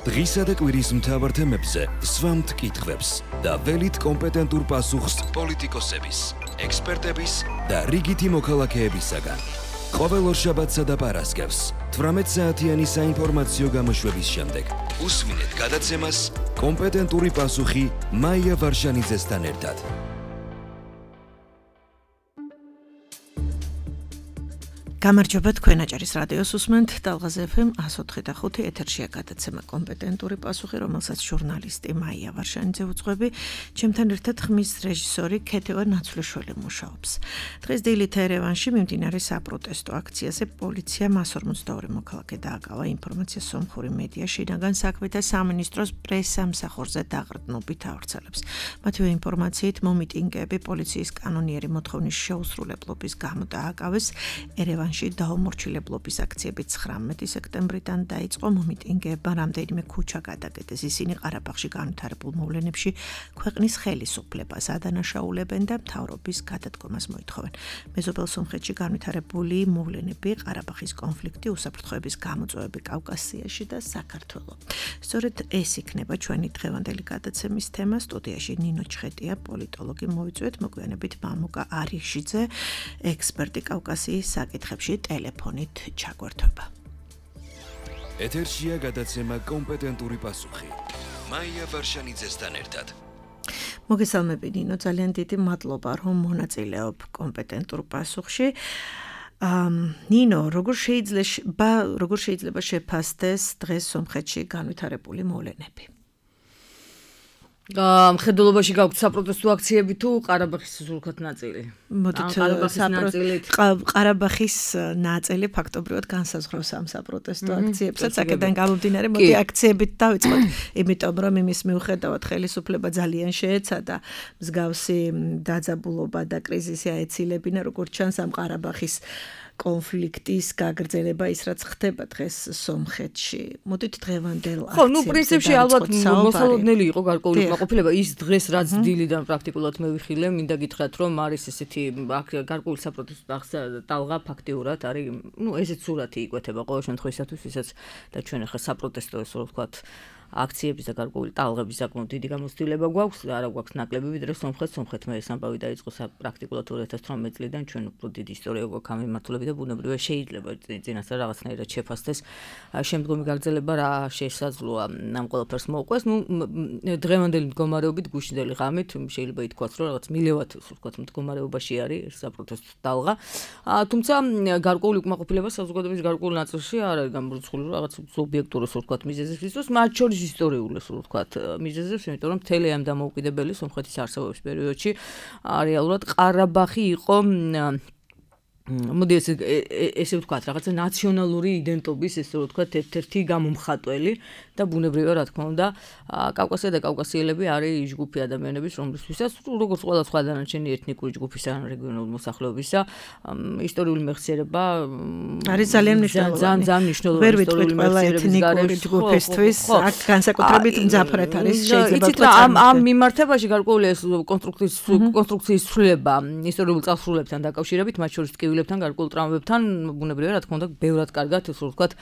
დღისა და კვირის მთავარ თემებზე ვსვამთ კითხვებს და ველით კომპეტენტურ პასუხს პოლიტიკოსების, ექსპერტების და რიგითი მოქალაქეებისაგან. ყოველ ორშაბათსა და პარასკევს 18 საათიანი საინფორმაციო გამოშვების შემდეგ უსმინეთ გადაცემას კომპეტენტური პასუხი მაია ვარშანიძესთან ერთად. გამარჯობა, თქვენ აჭარის რადიოს უსმენთ ტალღაზ FM 104.5 ეთერშია გადაცემა კომპეტენტური პასუხი, რომელსაც ჟურნალისტი მაია ვარშანიძე უძღვები, ჩემთან ერთად ხმის რეჟისორი ქეთევან ნაცვლიშვილი მუშაობს. დღეს დილით ერევანში მიმდინარე საპროტესტო აქციაზე პოლიციამ 142 მოქალაქე დააკავა, ინფორმაცია სომხური მედია შინაგან საქმეთა სამინისტროს პრესსამსახურზე დაღრდნობით ავრცელებს. მათივე ინფორმაციით მომიტინგეები პოლიციის კანონიერი მოთხოვნის შეუსრულებლობის გამო დააკავეს. ერევანში დაუმორჩილებლობის აქციები 19 სექტემბრიდან დაიწყო, მომიტინგეებმა რამდენიმე ქუჩა გადაკეტეს. ისინი ყარაბაღში განვითარებულ მოვლენებში ქვეყნის ხელისუფლებას ადანაშაულებენ და მთავრობის გადადგომას მოითხოვენ. მეზობელ სომხეთში განვითარებული მოვლენები, ყარაბაღის კონფლიქტი, უსაფრთხოების გამოწვევები კავკასიაში და საქართველო. სწორედ ეს იქნება ჩვენი დღევანდელი გადაცემის თემა. სტუდიაში ნინო ჩხეტია, პოლიტოლოგი, მოვიწვიეთ მოგვიანებით მამუკა არიხშიძე, ექსპერტი კავკასიის საკითხებში ტელეფონით ჩაგვერთვება. ეთერშია გადაცემა კომპეტენტური პასუხი. მაია ვარშანიძესთან ერთად. მოგესალმები ნინო, ძალიან დიდი მადლობა რომ მონაწილეობ კომპეტენტურ პასუხში. ნინო, როგორ შეიძლება შეფასდეს დღეს სომხეთში განვითარებული მოვლენები? მხედველობაში გაქვთ საპროტესტო აქციები თუ ყარაბაღის სულხათ ნაწილი? ყარაბაღის ნაწილი ფაქტობრივად განსაზღვრავს ამ საპროტესტო აქციებსაც. აქედან გამომდინარე, მოდი აქციებით დავიწყოთ, იმიტომ რომ იმის მიუხედავად ხელისუფლება ძალიან შეეცადა მსგავსი დაძაბულობა და კრიზისი აეცილებინა, როგორც ჩანს ამ ყარაბაღის კონფლიქტის გაგრძელება ის რაც ხდება დღეს სომხეთში. მოდით დღევანდელ აქციებზე. პრინციპში ალბათ მოსალოდნელი იყო გარკვეული კმაყოფილება. ის დღეს რაც დილიდან პრაქტიკულად მევიხილე, მინდა გითხრათ რომ არის ესეთი გარკვეული საპროტესტო ტალღა ფაქტიურად არის, ესეც სურათი იკვეთება ყოველ შემთხვევისათვის, ვისაც და ჩვენ ახლა საპროტესტო ესე ვთქვათ აქციების და გარკვეული ტალღების საკმაოდ დიდი გამოცდილება გვაქვს და არა გვაქვს ნაკლები ვიდრე სომხეთმა ეს ამბავი დაიწყო პრაქტიკულად 2018 წლიდან. ჩვენ უფრო დიდი ისტორია გვაქვს ამ მიმართულებით და ბუნებრივია შეიძლება წინასწარ რაღაცნაირად შეფასდეს შემდგომი გაგრძელება რა შესაძლოა ამ ყველაფერს მოუყვეს. დღევანდელი მდგომარეობით გუშინდელი ღამით შეიძლება ითქვას რომ რაღაც მილევად ვთქვათ მდგომარეობაში არის საპროტესტო ტალღა. თუმცა გარკვეული უკმაყოფილება საზოგადოების გარკვეულ ნაწილში არ არის გამორიცხული რაღაც სუბიექტური ვთქვათ მიზეზებისთვის, მათ შორის ისტორიული ვთქვათ მიზეზებს, იმიტომ რომ მთელი ამ დამოუკიდებელი სომხეთის არსებობის პერიოდში რეალურად ყარაბაღი იყო მოდი ესე ვთქვათ რაღაცა ნაციონალური იდენტობის ესე ვთქვათ ერთ-ერთი გამომხატველი და ბუნებრივია რა თქმა უნდა კავკასია და კავკასიელები არის ჯგუფი ადამიანების რომლისთვისაც როგორც ყველა სხვა დანარჩენი ეთნიკური ჯგუფისა ან რეგიონული მოსახლეობისა ისტორიული მეხსიერება არის ძალიან მნიშვნელოვანი. ვერ ვიტყვით ყველა ეთნიკური ჯგუფისთვის აქ განსაკუთრებით მძაფრად არის შეიძლება ამ მიმართებაში გარკვეული კონსტრუქციის ცვლილება ისტორიულ წარსულებთან დაკავშირებით მათ შორის ლებთან გარკვეულ ტრამვებთან ბუნებრივია რა თქმა უნდა ბევრად კარგად ესე ვთქვათ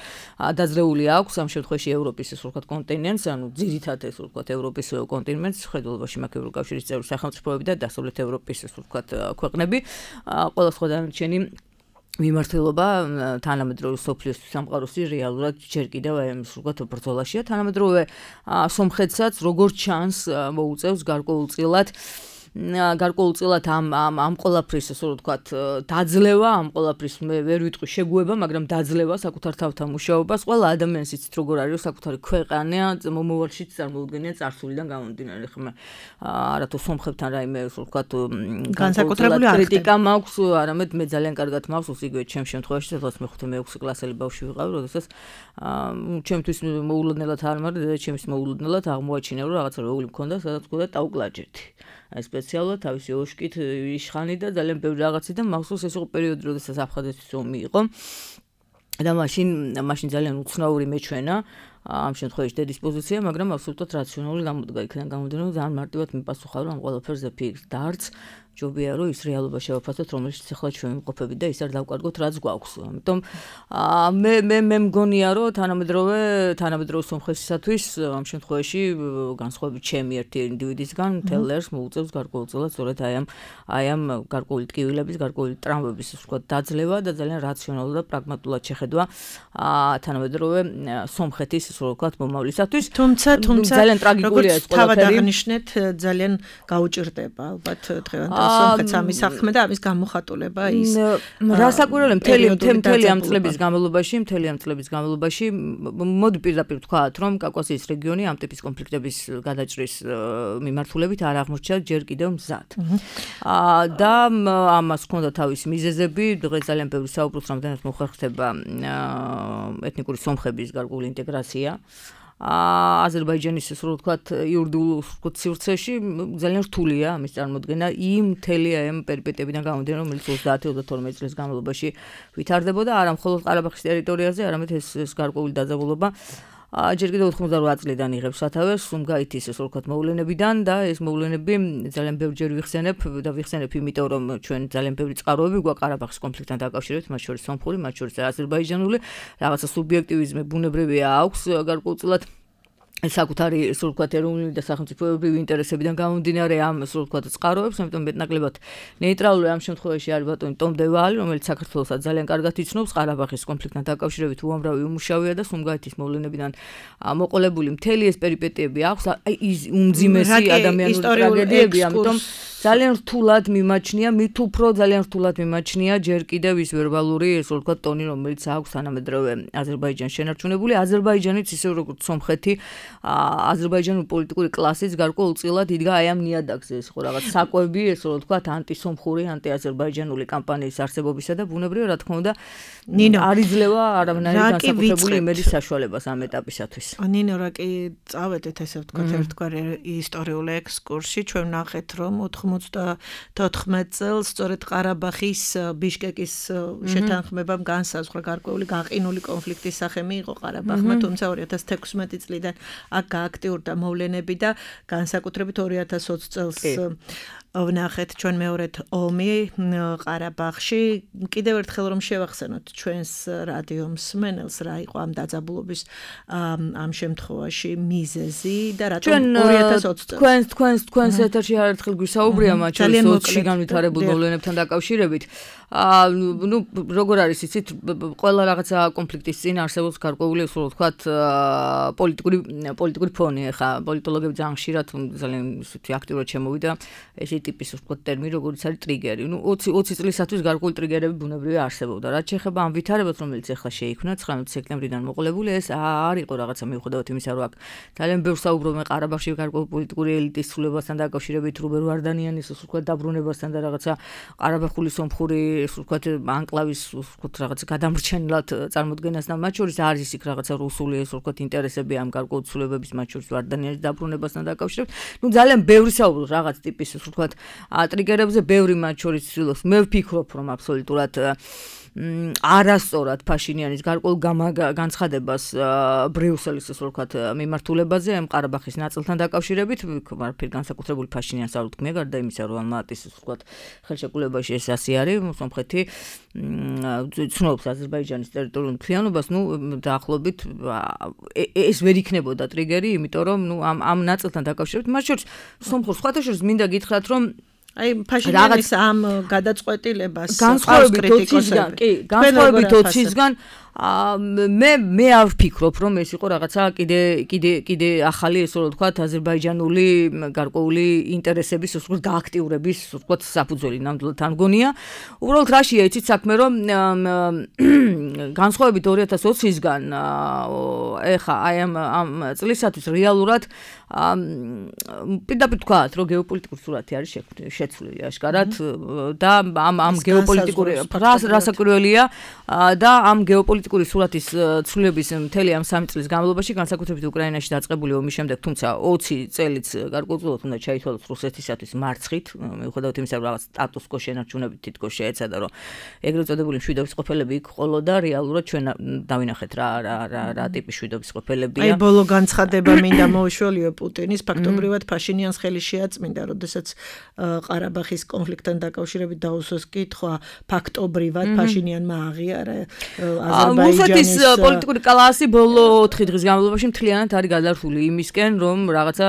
დაძრეული აქვს ამ შემთხვევაში ევროპის ესე ვთქვათ კონტინენტს, ანუ ძირითადად ესე ვთქვათ ევროპის კონტინენტს, ხედულობაში მაქვს ევროკავშირის წევრი სახელმწიფოები და დასავლეთ ევროპის ესე ვთქვათ ქვეყნები, ყველა სხვა დანარჩენი მიმართულება თანამედროვე სოფლიოს სამყაროსი რეალურად ჯერ კიდევ ესე ვთქვათ ბრძოლაშია. თანამედროვე სომხეთსაც როგორც ჩანს მოუწევს გარკვეულწილად ამ ყველაფრის ესე ვთქვათ დაძლევა, ამ ყველაფრის მე ვერ ვიტყვი შეგუება, მაგრამ დაძლევა საკუთარ თავთან მუშაობას. ყველა ადამიანს იცით როგორ არის საკუთარი ქვეყანა, მომავალშიც წარმოუდგენია წარსულიდან გამომდინარე. ხმა არათუ სომხებთან რაიმე ესე ვთქვათ განსაკუთრებული კრიტიკა მაქვს, არამედ მე ძალიან კარგად მაქვს იგივე ჩემ შემთხვევაში, სადაც მე 5-6 კლასელი ბავშვი ვიყავი, როდესაც ჩემთვის მოულოდნელად არ მაქვს და ჩემს მოულოდნელად აღმოაჩინა რომ რაღაცა რეული მქონდა, სადაც მქონდა ტაუკლაჯეთი. სპეციალურად თავისი ოშკით იშხანი და ძალიან ბევრი რაღაცი და მახსოვს ეს იყო პერიოდი, როდესაც აფხაზეთის ომი იყო და მაშინ ძალიან უცნაური მეჩვენა ამ შემთხვევაში დედისპოზიცია, მაგრამ აბსოლუტურად რაციონალური გამოდგა იქიდან გამომდინარე, რომ ძალიან მარტივად მიპასუხა რომ ამ ყველაფერზე ფიქრს დარც ჯობია რომ ის რეალობა შევაფასოთ, რომელშიც ახლა ჩვენ ვიმყოფებით და ის არ დავკარგოთ, რაც გვაქვს. ამიტომ მე მგონია რომ თანამედროვე სომხეთისათვის ამ შემთხვევაში განსხვავებით ჩემი ერთი ინდივიდისგან თელერს მოუწევს გარკვეულწილად სწორედ აი ამ გარკვეული ტკივილების, გარკვეული ტრამვების ვთქვათ დაძლევა და ძალიან რაციონალურად და პრაგმატულად შეხედვა თანამედროვე სომხეთის ისე ვთქვათ მომავლისათვის. თუმცა ძალიან ტრაგიკულია ეს ყველაფერი. თავად აღნიშნეთ, ძალიან გაუჭირდება ალბათ დღევანდელ სომხეთს ამის საქმე და ამის გამოხატულება ის. რასაკვირველია მთელი ამ წლების განმავლობაში მოდი პირდაპირ ვთქვათ, რომ კავკასიის რეგიონი ამ ტიპის კონფლიქტების გადაჭრის მიმართულებით არ აღმოჩნდა ჯერ კიდევ მზად. და ამას ჰქონდა თავისი მიზეზები, დღეს ძალიან ბევრი საუბრობს, რამდენად მოხერხდება ეთნიკური სომხების გარკვეული ინტეგრაცია. აზერბაიჯანის ისე ვთქვათ იურიდიულ სივრცეში ძალიან რთულია ამის წარმოქმნა იმ მთელი ამ პერიპეტიებიდან გამომდინარე, რომელიც 30-32 წლის განმავლობაში ვითარდებოდა არა მხოლოდ ყარაბაღის ტერიტორიაზე, არამედ ეს გარკვეული დაძაბულობა ჯერ კიდევ 88 წლიდან იღებს სათავეს სუმგაითის ისე ვთქვათ მოვლენებიდან და ეს მოვლენები ძალიან ბევრჯერ ვიხსენებ, იმიტომ რომ ჩვენ ძალიან ბევრი წყაროები გვაქვს ყარაბაღის კონფლიქტთან დაკავშირებით, მათ შორის სომხური, მათ შორის აზერბაიჯანული, რაღაცა სუბიექტივიზმი ბუნებრივია აქვს გარკვეულწილად საკუთარი ისე ვთქვათ ეროვნული და სახელმწიფოებრივი ინტერესებიდან გამომდინარე ამ ისე ვთქვათ წყაროებს, ამიტომ მეტნაკლებად ნეიტრალური ამ შემთხვევაში არის ბატონი ტომ დევალი, რომელიც საქართველოსაც ძალიან კარგად იცნობს ყარაბაღის კონფლიქტთან დაკავშირებით უამრავი უმუშავია და სუმგაითის მოვლენებიდან მოყოლებული მთელი ეს პერიპეტიები აქვს, აი ის უმძიმესი ადამიანური ტრაგედიები, ამიტომ ძალიან რთულად მიმაჩნია, მით უფრო ძალიან რთულად მიმაჩნია ჯერ კიდევ ის ვერბალური ისე ვთქვათ ტონი, რომელიც აქვს თანამედროვე აზერბაიჯანს შენარჩუნებული, აზერბაიჯანიც ისე როგორც სომხეთი აზერბაიჯანული პოლიტიკური კლასის გარკვეულწილად იდგა აი ამ ნიადაგზე, ეს ხო რაღაც საკვები, ესე რომ ვთქვათ, ანტისომხური, ანტიაზერბაიჯანული კამპანიის არსებობისა და ბუნებრივია, რა თქმა უნდა, არ იძლევა არავნარი განსაკუთრებული იმედის საშუალებას ამ ეტაპისათვის. ნინო, რა კი წავედეთ ესე ვთქვათ, ერთგვარი ისტორიული ექსკურსი, ჩვენ ვნახეთ, რომ 94 წელს სწორედ ყარაბაღის ბიშკეკის შეთანხმებამ განსაზღვრა გარკვეული გაყინული კონფლიქტის სახე მიიღო ყარაბაღმა, თუმცა 2016 წლიდან აქ გააქტიურდა მოვლენები და განსაკუთრებით 2020 წელს ვნახეთ ჩვენ მეორედ ომი ყარაბაღში. კიდევ ერთხელ რომ შევახსენოთ ჩვენს რადიო მსმენელს რა იყო ამ დაძაბულობის ამ შემთხვევაში მიზეზი და რატომ 2020 წელს თქვენს ეთერში არაერთხელ გვისაუბრია მათ შორის 20-ში განვითარებულ მოვლენებთან დაკავშირებით. ნუ როგორ არის იცით, ყველა რაღაცა კონფლიქტის წინ არსებობს გარკვეული ისე ვთქვათ პოლიტიკური ფონი, ხა პოლიტოლოგები ძალიან ხშირად ძალიან ისეთი აქტიურად შემოვიდა ესე ტიპის ვთქვათ ტერმინი, როგორც არის ტრიგერი. ნუ 20 წლისათვის გარკვეული ტრიგერები ბუნებრივია არსებობდა. რაც შეეხება ამ ვითარებას, რომელიც ახლა შეიქმნა 19 სექტემბრიდან მოყოლებული, ეს არ იყო რაღაცა მიუხედავად იმისა, რომ აქ ძალიან ბევრ საუბრობენ ყარაბაღში გარკვეული პოლიტიკური ელიტის ცვლილებასთან დაკავშირებით, რუბერ ვარდანიანის ისე ვთქვათ დაბრუნებასთან და რაღაცა ყარაბაღული სომხური ეს ვთქვათ ანკლავის ვთქვათ რაღაცა გადამრჩენლად წარმოდგენასთან, მათ შორის არის იქ რაღაცა რუსული ეს ვთქვათ ინტერესები ამ გარკვეული ცვლილებების, მათ შორის ვარდანიანის დაბრუნებასთან დაკავშირებით. ნუ ძალიან ბევრი საუბრობს რაღაც ტიპის ეს ვთქვათ ტრიგერებზე, ბევრი მათ შორის ცდილობს. მე ვფიქრობ, რომ აბსოლუტურად არასწორად ფაშინიანის გარკვეულ განცხადებას ბრიუსელის ესე ვთქვათ მიმართულებაზე ამ ყარაბაღის ნაწილთან დაკავშირებით, ვარაფერ განსაკუთრებული ფაშინიანს არ ვთქმია, გარდა იმისა, რომ ამატის ესე ვთქვათ ხელშეკრულებაში ეს ასე არის, სომხეთი ცნობს აზერბაიჯანის ტერიტორიულ მთლიანობას, ნუ დაახლოებით ეს ვერ იქნებოდა ტრიგერი, იმიტომ რომ ნუ ამ ნაწილთან დაკავშირებით, მათ შორის სომხურ სხვათა შორის მინდა გითხრათ, რომ აი ფაშინიანის ამ გადაწყვეტილებას განსხვავებით 20-ისგან მე არ ვფიქრობ, რომ ეს იყო რაღაცა კიდე ახალი ესე რომ ვთქვათ აზერბაიჯანული გარკვეული ინტერესების ესე ვთქვათ გააქტიურების ესე ვთქვათ საფუძველი ნამდვილად არ მგონია. უბრალოდ რაშია იცით საქმე, რომ განსხვავებით 2020-ისგან ეხა აი ამ წლისათვის რეალურად პირდაპირ ვთქვათ, რომ გეოპოლიტიკური სურათი არის შეცვლილი აშკარად და ამ გეოპოლიტიკური რასაკვირველია და ამ გეოპოლიტიკური პოლიტიკური სურათის ცვლილების მთელი ამ 3 წლის განმავლობაში განსაკუთრებით უკრაინაში დაწყებული ომის შემდეგ, თუმცა 20 წელიც გარკვეულწილად უნდა ჩაითვალოს რუსეთისათვის მარცხით, მიუხედავად იმისა, რომ რაღაც სტატუს-კვო შენარჩუნებით თითქოს შეეცადა, რომ ეგრეთ წოდებული მშვიდობის ყოფილები იქ ყოლოდა, რეალურად ჩვენ დავინახეთ რა ტიპის მშვიდობის ყოფილებია. აი ბოლო განცხადება მინდა მოუშველიო პუტინის, ფაქტობრივად ფაშინიანს ხელი შეაწმინდა, როდესაც ყარაბაღის კონფლიქტთან დაკავშირებით დაუსვეს კითხვა, ფაქტობრივად ფაშინიანმა აღიარა რუსეთის პოლიტიკური კლასი ბოლო 4 დღის განმავლობაში მთლიანად არის გადარჩული იმისკენ, რომ რაღაცა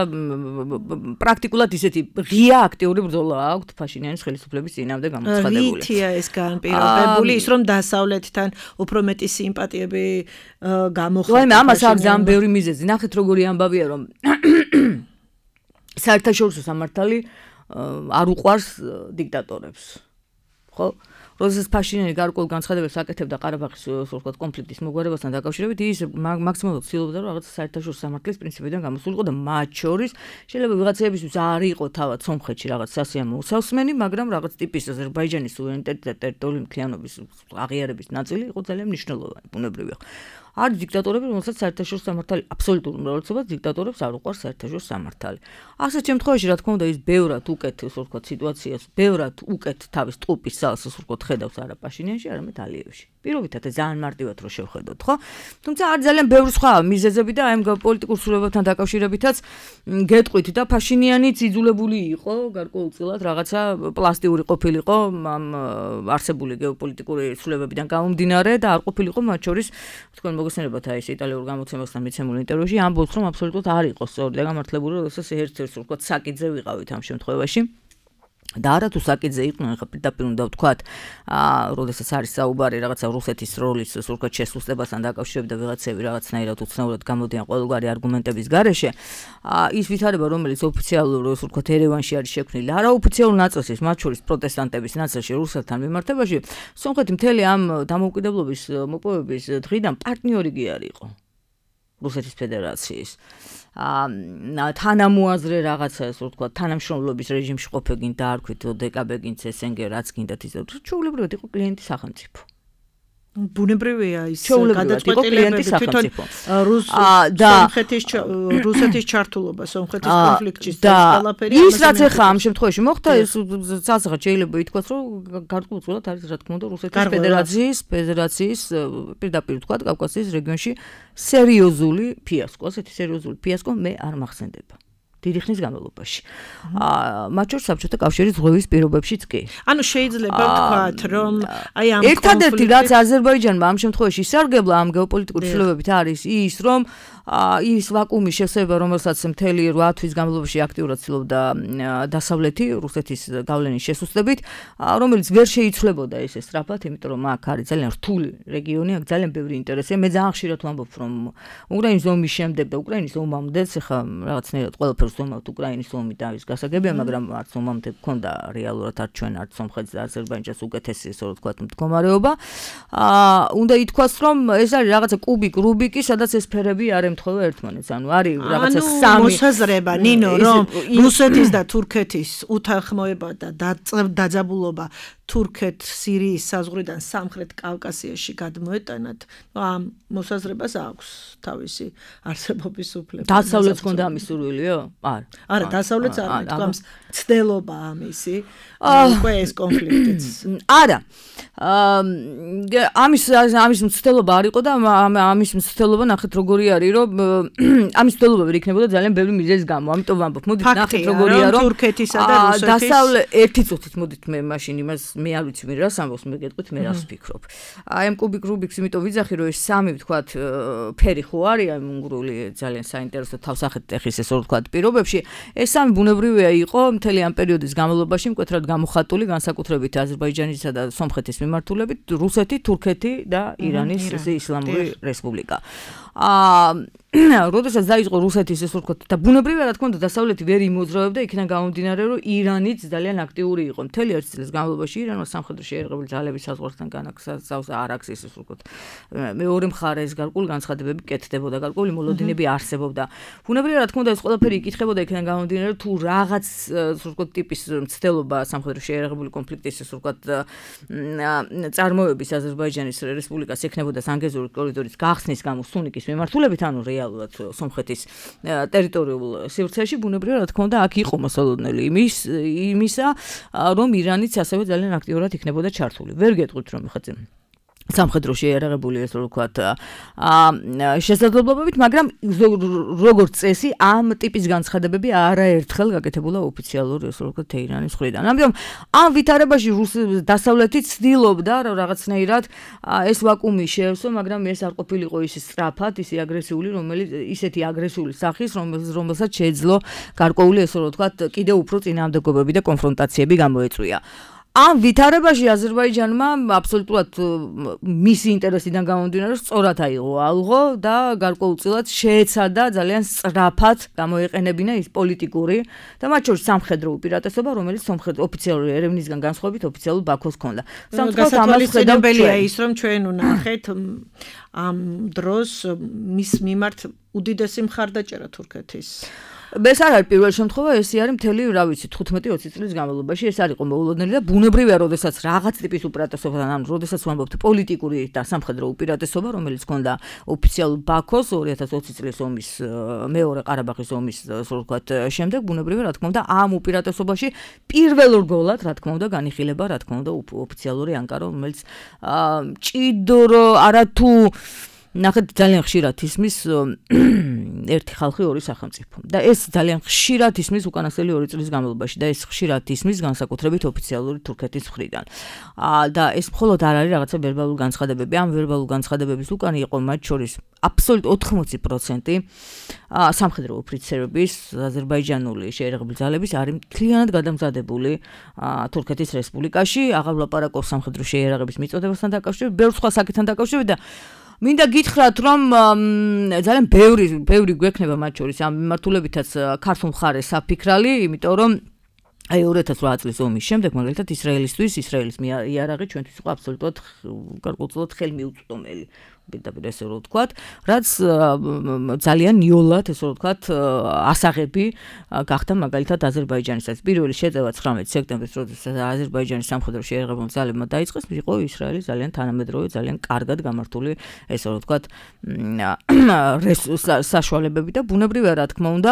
პრაქტიკულად ისეთი ღია აქტიური ბრძოლა აქვს ფაშინიანის ხელისუფლების წინააღმდეგ გამოცხადებული. რითია ეს განპირობებული, ის რომ დასავლეთთან უფრო მეტი სიმპათიები გამოხატა. აი ამას აქვს ძალიან ბევრი მიზეზი. ნახეთ როგორი ამბავია, რომ საერთაშორისო სამართალი არ უყვარს დიქტატორებს. ხო? როდესაც ფაშინიანი გარკვეულ განცხადებებს აკეთებდა ყარაბაღის ვთქვათ კონფლიქტის მოგვარებასთან დაკავშირებით, ის მაქსიმალურად ცდილობდა, რომ რაღაც საერთაშორისო სამართლის პრინციპიდან გამოსულიყო და მათ შორის შეიძლება ვიღაცებისთვის არ იყო თავად სომხეთში რაღაც სასიამოვნო უსავსმენი, მაგრამ რაღაც ტიპის აზერბაიჯანის სუვერენიტეტი და ტერიტორიული მთლიანობის აღიარების ნაწილი იყო ძალიან მნიშვნელოვანი, ბუნებრივია. არის დიქტატორები, რომელსაც საერთაშორისო სამართალი აბსოლუტურ უმრავლესობას დიქტატორებს არ უყვარს საერთაშორისო სამართალი. ასეთ შემთხვევაში, რა თქმა უნდა, ის ბევრად უკეთ, ასე ვთქვათ, სიტუაციას, ბევრად უკეთ თავის ტყუპის ძალას, ასე ვთქვათ, ხედავს არა პაშინიანში, არამედ ალიევში. პირობითად ძალიან მარტივად რო შევხედოთ, ხო? თუმცა არის ძალიან ბევრი სხვა მიზეზები და აი ამ პოლიტიკურ სრულებებთან დაკავშირებითაც გეტყვით და ფაშინიანიც იძულებული იყო გარკვეულწილად რაღაცა პლასტიური ყოფილიყო ამ არსებული გეოპოლიტიკური სრულებებიდან გამომდინარე და არ ყოფილიყო მათ შორის თქვენ მოგესწრებათ აი ეს იტალიურ გამოცემასთან მიცემულ ინტერვიუში ამბობს რომ აბსოლუტურად არ იყო სწორი და გამართლებული როდესაც ერთ-ერთ ვთქვათ საკითხზე ვიყავით ამ შემთხვევაში და არა თუ საკითხზე იყვნენ ხა პირდაპირ უნდა ვთქვათ როდესაც არის საუბარი რაღაცა რუსეთის როლის ვთქვათ შესუსტებასთან დაკავშირებით და ვიღაცები რაღაცნაირად უცნაურად გამოდიან ყოველგვარი არგუმენტების გარეშე ის ვითარება რომელიც ოფიციალურ ვთქვათ ერევანში არის შექმნილი არაოფიციალურ ნაწილში მათ შორის პროტესტანტების ნაწილში რუსეთთან მიმართებაში სომხეთი მთელი ამ დამოუკიდებლობის მოპოვების დღიდან პარტნიორი კი არ იყო რუსეთის ფედერაციის თანამოაზრე რაღაცა ასე ვთქვათ თანამშრომლობის რეჟიმში ყოფილ დაარქვით ოდეკაბეგინც SNG რაც გინდათ ის ჩვეულებრივად იყო კლიენტი სახელმწიფო ბუნებრივია ის გადაწყვეტილებები თვითონ რუსეთის ჩართულობა სომხეთის კონფლიქტში და ყველაფერი ის რაც ახლა ამ შემთხვევაში მოხდა ის ცალსახად შეიძლება ითქვას რომ გარკვეულწილად არის რა თქმა უნდა რუსეთის ფედერაციის პირდაპირ ვთქვათ კავკასიის რეგიონში სერიოზული ფიასკო ასეთი სერიოზული ფიასკო მე არ მახსენდება დიდი ხნის განმავლობაში. მათ შორის საბჭოთა კავშირის ზღვევის პირობებშიც კი. ანუ შეიძლება ვთქვათ, რომ აი ამ ერთადერთი რაც აზერბაიჯანმა ამ შემთხვევაში ისარგებლა ამ გეოპოლიტიკური ცვლილებებით არის ის, რომ ის ვაკუუმის შესება, რომელსაც მთელი 8 თვის განმავლობაში აქტიურად ცდილობდა დასავლეთი რუსეთის გავლენის შესუსტებით, რომელიც ვერ შეიცვლებოდა ესე სწრაფად, იმიტომ რომ აქ არის ძალიან რთული რეგიონი, აქ ძალიან ბევრი ინტერესია. მე ძალიან ხშირად ვამბობ, რომ უკრაინის ომის შემდეგ და უკრაინის ომამდე, ხა რაღაცნაირად ყველაფერს ვამბობთ უკრაინის ომი და ის გასაგებია, მაგრამ არც ომამდე გქონდა რეალურად არც ჩვენ არც სომხეთს და აზერბაიჯანს უკეთესი ესე რომ ვთქვათ მდგომარეობა. უნდა ითქვას, რომ ეს არის რაღაცა კუბიკ, რუბიკი, სადაც ეს ფერები არ ემთხვევა ერთმანეთს. ანუ არის რაღაცა სამი მოსაზრება, ნინო, რომ რუსეთის და თურქეთის უთანხმოება და დაძაბულობა თურქეთ-სირიის საზღვრიდან სამხრეთ კავკასიაში გადმოეტანათ, ამ მოსაზრებას აქვს თავისი არსებობის უფლება. დასავლეთს ქონდა ამის სურვილიო? არა, დასავლეთს არ მეთქვამს ცდელობა ამისი, უკვე ეს კონფლიქტიც. არა. ამის მცდელობა არ იყო და ამის მცდელობა ნახეთ როგორი არის, რომ ამის მცდელობა ვერ იქნებოდა ძალიან ბევრი მიზეზის გამო. ამიტომ ვამბობ, მოდით ნახეთ როგორია, რომ თურქეთისა და რუსეთის დასავლეთ ერთი წუთით მოდით მე მაშინ იმას მე არ ვიცი მე რას ამბობს, მე გეტყვით მე რას ვფიქრობ. აი ამ კუბიკ რუბიქს იმიტომ ვიძახი, რომ ეს სამი ვთქვათ ფერი ხო არის აი უნგრული ძალიან საინტერესო თავსახედ ტეხის ესე ვთქვათ პირობებში. ეს სამი ბუნებრივია იყო მთელი ამ პერიოდის განმავლობაში მკვეთრად გამოხატული განსაკუთრებით აზერბაიჯანისა და სომხეთის მიმართულებით რუსეთი, თურქეთი და ირანის ისლამური რესპუბლიკა. როდესაც დაიწყო რუსეთის ეს ვთქვათ და ბუნებრივია რა თქმა უნდა დასავლეთი ვერ იმოძრავებდა იქიდან გამომდინარე რომ ირანიც ძალიან აქტიური იყო მთელი ერთ წლის განმავლობაში ირანმა სამხედრო შეიარაღებული ძალების საზღვართან განაგზავს არ აქვს ეს ვთქვათ მეორე მხარეს გარკვეული განცხადებები კეთდებოდა გარკვეული მოლოდინები არსებობდა ბუნებრივია რა თქმა უნდა ეს ყველაფერი იკითხებოდა იქიდან გამომდინარე თუ რაღაც ვთქვათ ტიპის მცდელობა სამხედრო შეიარაღებული კონფლიქტის ეს ვთქვათ წარმოების აზერბაიჯანის რესპუბლიკას ექნებოდა ზანგეზურის კორიდორის გახსნის გამო სუნიკის მიმართულებით ანუ რეალურად სომხეთის ტერიტორიულ სივრცეში ბუნებრივია რა თქმა უნდა აქ იყო მოსალოდნელი იმისა რომ ირანიც ასევე ძალიან აქტიურად იქნებოდა ჩართული ვერ გეტყვით რომ ხაც სამხედრო შეიარაღებული ეს რო ვთქვათ შესაძლებლობებით მაგრამ როგორც წესი ამ ტიპის განცხადებები არაერთხელ გაკეთებულა ოფიციალურ ეს რო ვთქვათ თეირანის მხრიდან ამიტომ ამ ვითარებაში დასავლეთი ცდილობდა რომ რაღაცნაირად ეს ვაკუუმი შეევსო მაგრამ ეს არ ყოფილიყო ისე სწრაფად ისე აგრესიული რომელიც ისეთი აგრესიული სახის რომელსაც შეეძლო გარკვეული ეს რო ვთქვათ კიდევ უფრო წინააღმდეგობები და კონფრონტაციები გამოეწვია ამ ვითარებაში აზერბაიჯანმა აბსოლუტურად მისი ინტერესიდან გამომდინარე სწორად აიღო ალღო და გარკვეულწილად შეეცადა ძალიან სწრაფად გამოეყენებინა ის პოლიტიკური და მათ შორის სამხედრო უპირატესობა რომელიც ოფიციალური ერევნისგან განსხვავებით ოფიციალურ ბაქოს ჰქონდა. გასათვალისწინებელია ის რომ ჩვენ ვნახეთ ამ დროს მის მიმართ უდიდესი მხარდაჭერა თურქეთის ეს არ არის პირველ შემთხვევა, ეს არის მთელი, რა ვიცი, 15-20 წლის განმავლობაში ეს არ იყო მოულოდნელი და ბუნებრივია, როდესაც რაღაც ტიპის უპირატესობიდან, ანუ როდესაც ვამბობთ პოლიტიკური და სამხედრო უპირატესობა, რომელიც ჰქონდა ოფიციალურ ბაქოს 2020 წლის ომის მეორე ყარაბაღის ომის, ასე ვთქვათ, შემდეგ ბუნებრივია, რა თქმა უნდა, ამ უპირატესობაში პირველრგოლად, რა თქმა უნდა, განიხილება, რა თქმა უნდა, ოფიციალური ანკარა, რომელიც ჭიდრო არათუ ნახეთ ძალიან ხშირად ისმის ერთი ხალხი ორი სახელმწიფო და ეს ძალიან ხშირად ისმის უკანასკნელი 2 წლის განმავლობაში და ეს ხშირად ისმის განსაკუთრებით ოფიციალური თურქეთის მხრიდან და ეს მხოლოდ არ არის რაღაცა ვერბალური განცხადებები ამ ვერბალური განცხადებების უკან იყო მათ შორის აბსოლუტურად 80% სამხედრო ოფიცერების აზერბაიჯანული შეიარაღებული ძალების არის მთლიანად გადამზადებული თურქეთის რესპუბლიკაში აღარ ვლაპარაკობ სამხედრო შეიარაღების მიწოდებასთან დაკავშირებით ბევრ სხვა საკითხთან დაკავშირებით და მინდა გითხრათ რომ ძალიან ბევრი გვექნება მათ შორის ამ მიმართულებითაც ქართულ მხარეს საფიქრალი, იმიტომ რომ აი 2008 წლის ომის შემდეგ მაგალითად ისრაელის იარაღი ჩვენთვის იყო აბსოლუტურად გარკვეულწილად ხელმიუწვდომელი. პირდაპირ ესე რომ ვთქვათ, რაც ძალიან ნიოლად ესე რომ ვთქვათ ასაღები გახდა მაგალითად აზერბაიჯანისაც. პირველი შეწევა 19 სექტემბერს, როდესაც აზერბაიჯანის სამხედრო შეიარაღებულმა ძალებმა დაიწყეს, იყო ისრაელის ძალიან თანამედროვე, ძალიან კარგად გამართული ესე რომ ვთქვათ საშუალებები და ბუნებრივია რა თქმა უნდა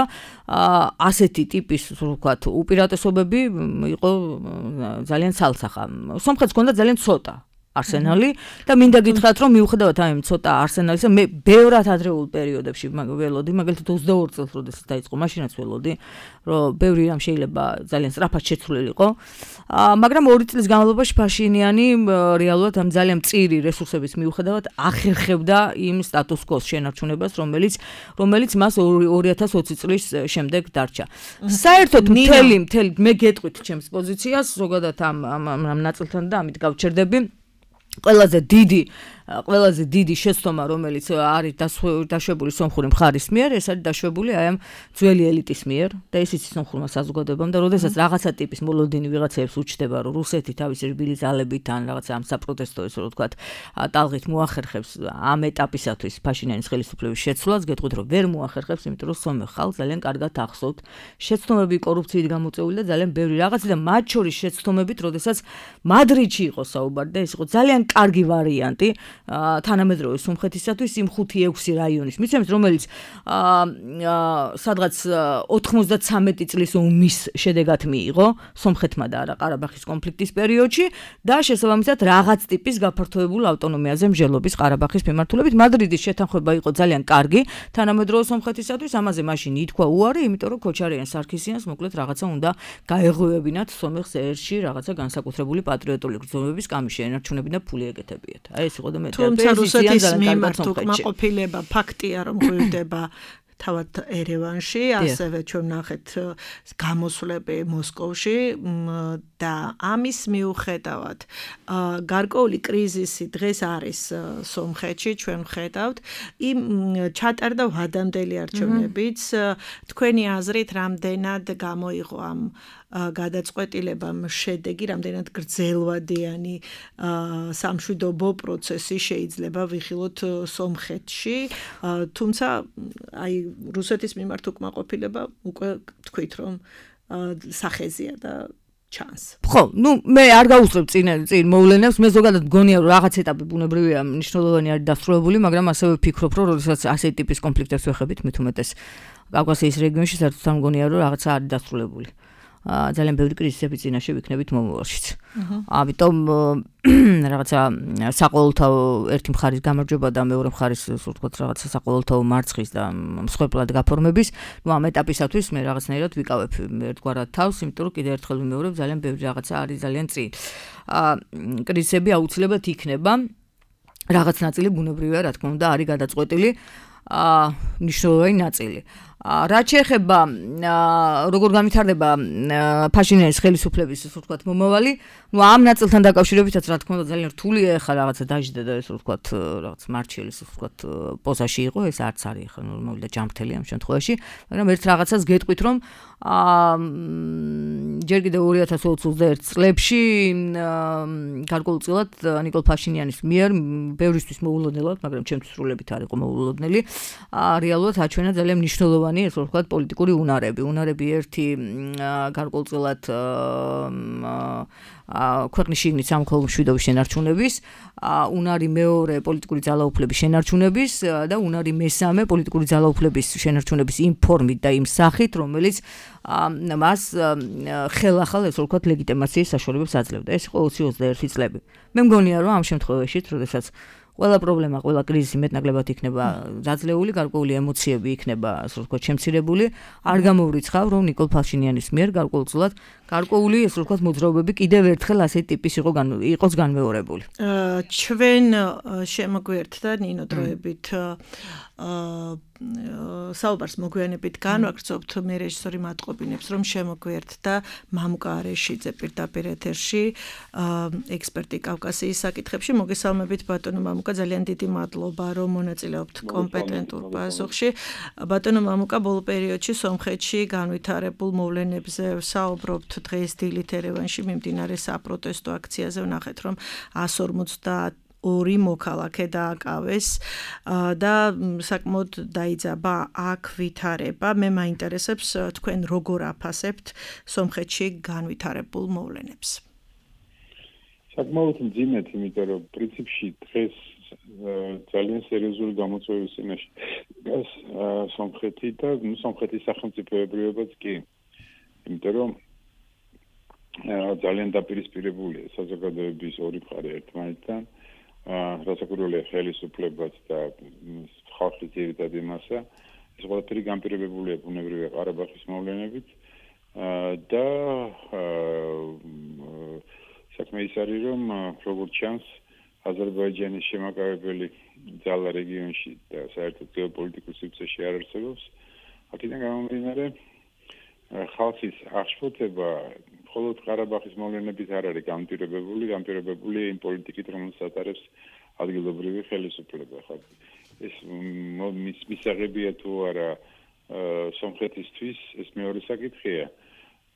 ასეთი ტიპის ასე ვთქვათ უპირატესობები იყო ძალიან ცალსახა. სომხეთს ჰქონდა ძალიან ცოტა არსენალი და მინდა გითხრათ რომ მიუხედავად ამ ცოტა არსენალისა მე ბევრად ადრეულ პერიოდებში ველოდი მაგალითად 22 წელს როდესაც დაიწყო მაშინაც ველოდი რომ ბევრი რამ შეიძლება ძალიან სწრაფად შეცვლილიყო მაგრამ 2 წლის განმავლობაში ფაშინიანი რეალურად ამ ძალიან მწირი რესურსების მიუხედავად ახერხებდა იმ სტატუს კოს შენარჩუნებას რომელიც მას 2020 წლის შემდეგ დარჩა საერთოდ მთელი მე გეტყვით ჩემს პოზიციას ზოგადად ამ ნაწილთან და ამით გავჩერდები ყველაზე დიდი შეცდომა რომელიც არის დაშვებული სომხური მხარის მიერ ეს არის დაშვებული აი ამ ძველი ელიტის მიერ და ეს იცის სომხურმა საზოგადოებამ და როდესაც რაღაცა ტიპის მოლოდინი ვიღაცებს უჩნდება რომ რუსეთი თავისი რბილი ძალებით ან რაღაცა ამ საპროტესტო ესე რომ ვთქვათ ტალღით მოახერხებს ამ ეტაპისათვის ფაშინიანის ხელისუფლების შეცვლას გეტყვით რომ ვერ მოახერხებს იმიტომ რომ სომეხ ხალხს ძალიან კარგად ახსოვთ შეცდომები კორუფციით გამოწეული და ძალიან ბევრი რაღაცა და მათ შორის შეცდომებით როდესაც მადრიდში იყო საუბარი და ეს იყო ძალიან კარგი ვარიანტი თანამედროვე სომხეთისათვის იმ 5-6 რაიონის მიცემს რომელიც სადღაც 93 წლის ომის შედეგად მიიღო სომხეთმა და არა ყარაბაღის კონფლიქტის პერიოდში და შესაბამისად რაღაც ტიპის გაფართოებულ ავტონომიაზე მსჯელობის ყარაბაღის მიმართულებით მადრიდის შეთანხმება იყო ძალიან კარგი თანამედროვე სომხეთისათვის ამაზე მაშინ ითქვა უარი იმიტომ რომ ქოჩარიან სარქისიანს მოკლედ რაღაცა უნდა გაეღვევებინათ სომეხს ერში რაღაცა განსაკუთრებული პატრიოტული გრძნობების კამი შეენარჩუნებინა ფული ეკეთებიათ აი ეს იყო და მე თუმცა რუსეთის მიმართ უკმაყოფილება ფაქტია რომ ღვივდება თავად ერევანში, ასევე ჩვენ ნახეთ გამოსვლები მოსკოვში და ამის მიუხედავად გარკვეული კრიზისი დღეს არის სომხეთში, ჩვენ ვხედავთ, იმ ჩატარდა ვადამდელი არჩევნებიც, თქვენი აზრით რამდენად გამოიღო ამ გადაწყვეტილებამ შედეგი, რამდენად გრძელვადიანი სამშვიდობო პროცესი შეიძლება ვიხილოთ სომხეთში, თუმცა აი რუსეთის მიმართ უკმაყოფილება უკვე თქვით რომ სახეზია და ჩანს. ხო, მე არ გავუსწრებ წინ მოვლენებს, მე ზოგადად მგონია რომ რაღაც ეტაპი ბუნებრივია მნიშვნელოვანი არის დასრულებული, მაგრამ ასევე ვფიქრობ რომ როდესაც ასეთი ტიპის კონფლიქტებს ვეხებით, მით უმეტეს კავკასიის რეგიონში საერთოდ მგონია რომ რაღაცა არის დასრულებული. ძალიან ბევრი კრიზისები წინაშე ვიქნებით მომავალშიც. ამიტომ რაღაცა საყოველთაო ერთი მხარის გამარჯვება და მეორე მხარის ასე ვთქვათ რაღაცა საყოველთაო მარცხის და მსხვერპლად გაფორმების, ამ ეტაპისათვის მე რაღაცნაირად ვიკავებ ერთგვარად თავს, იმიტომ რომ კიდევ ერთხელ ვიმეორებ, ძალიან ბევრი რაღაცა არის ძალიან წინ. კრიზისები აუცილებლად იქნება. რაღაც ნაწილი ბუნებრივია, რა თქმა უნდა, არის გადაწყვეტილი, მნიშვნელოვანი ნაწილი. რაც შეეხება როგორ განვითარდება ფაშინიანის ხელისუფლების ასე ვთქვათ მომავალი, ამ ნაწილთან დაკავშირებითაც რა თქმა უნდა ძალიან რთულია ახლა რაღაცა დაждდა და ასე ვთქვათ რაღაც მარჩელის ასე ვთქვათ პოზაში იყო, ეს არც არის ახლა ნორმალური და ჯანმრთელი ამ შემთხვევაში, მაგრამ ერთ რაღაცას გეტყვით რომ ჯერ კიდევ 2021 წლებში გარკვეულწილად ნიკოლ ფაშინიანის მიერ ბევრისთვის მოულოდნელად, მაგრამ ჩემთვის სრულებით არ იყო მოულოდნელი, რეალურად აჩვენა ძალიან მნიშვნელოვანი ესე ვთქვათ პოლიტიკური უნარები ერთი გარკვეულწილად ქვეყნის შიგნით სამოქალაქო მშვიდობის შენარჩუნების, უნარი მეორე პოლიტიკური ძალაუფლების შენარჩუნების და უნარი მესამე პოლიტიკური ძალაუფლების შენარჩუნების იმ ფორმით და იმ სახით, რომელიც მას ხელახალ ესე ვთქვათ ლეგიტიმაციის საშუალებებს აძლევდა. ეს იყო 2021 წლები. მე მგონია რომ ამ შემთხვევაში, როდესაც ყველა პრობლემა, ყველა კრიზისი მეტნაკლებად იქნება დაძლეული, გარკვეული ემოციები იქნება, ასე ვთქვათ, შემცირებული, არ გამოვრიცხავ, რომ ნიკოლ ფაშინიანის მიერ გარკვეულწილად გარკვეული, ასე ვთქვათ, მოძრაობები კიდევ ერთხელ ასეთი ტიპის იყოს განმეორებული. ჩვენ შემოგვიერთდა ნინო დროებით საუბარს მოგვიანებით განვაგრძობთ, მე რეჟისორი მატყობინებს, რომ შემოგვიერთდა მამუკა არეშიძე პირდაპირ ეთერში, ექსპერტი კავკასიის საკითხებში. მოგესალმებით ბატონო მამუკა, ძალიან დიდი მადლობა, რომ მონაწილეობთ კომპეტენტურ პასუხში. ბატონო მამუკა, ბოლო პერიოდში სომხეთში განვითარებულ მოვლენებზე საუბრობთ. დღეს დილით ერევანში მიმდინარე საპროტესტო აქციაზე ვნახეთ, რომ 152 მოქალაქე დააკავეს და საკმაოდ დაიძაბა აქ ვითარება. მე მაინტერესებს თქვენ როგორ აფასებთ სომხეთში განვითარებულ მოვლენებს. საკმაოდ მძიმედ, იმიტომ რომ პრინციპში დღეს ძალიან სერიოზული გამოწვევის წინაშე სომხეთი და სომხეთის სახელმწიფოებრიობაც კი. იმიტომ რომ ძალიან დაპირისპირებულია საზოგადოების ორი მხარე ერთმანეთთან, რასაკვირველია ხელისუფლებაც და ხალხის ძირითადი მასა, ეს ყველაფერი განპირობებულია ბუნებრივია ყარაბაღის მოვლენებით და საქმე ის არის, რომ როგორც ჩანს, აზერბაიჯანის შემაკავებელი ძალა რეგიონში და საერთოდ გეოპოლიტიკურ სივრცეში არ არსებობს. აქედან გამომდინარე, ხალხის აღშფოთება მხოლოდ ყარაბაღის მოვლენებით არ არის განპირობებული იმ პოლიტიკით, რომელსაც ატარებს ადგილობრივი ხელისუფლება. ეს მისაღებია თუ არა სომხეთისთვის, ეს მეორე საკითხია.